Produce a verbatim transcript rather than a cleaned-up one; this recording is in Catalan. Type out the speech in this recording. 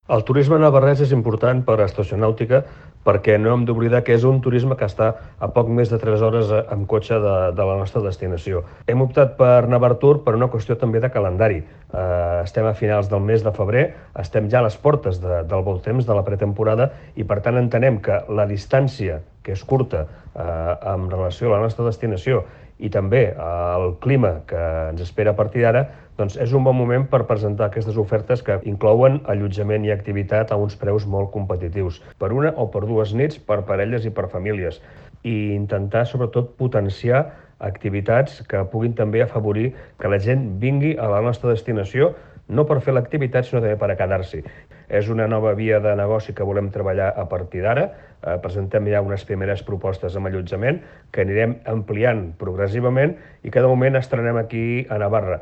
El turisme navarrès és important per a Estacionàutica perquè no hem d'oblidar que és un turisme que està a poc més de tres hores eh, amb cotxe de, de la nostra destinació. Hem optat per Navartur per una qüestió també de calendari. Eh, estem a finals del mes de febrer, estem ja a les portes de, del bon temps, de la pretemporada, i per tant entenem que la distància, que és curta, eh, en relació a la nostra destinació, i també el clima que ens espera a partir d'ara, doncs és un bon moment per presentar aquestes ofertes que inclouen allotjament i activitat a uns preus molt competitius, per una o per dues nits, per parelles i per famílies, i intentar sobretot potenciar activitats que puguin també afavorir que la gent vingui a la nostra destinació, no per fer l'activitat, sinó també per a quedar-s'hi. És una nova via de negoci que volem treballar a partir d'ara. Eh, presentem ja unes primeres propostes amb allotjament que anirem ampliant progressivament i que de moment estrenem aquí a Navarra.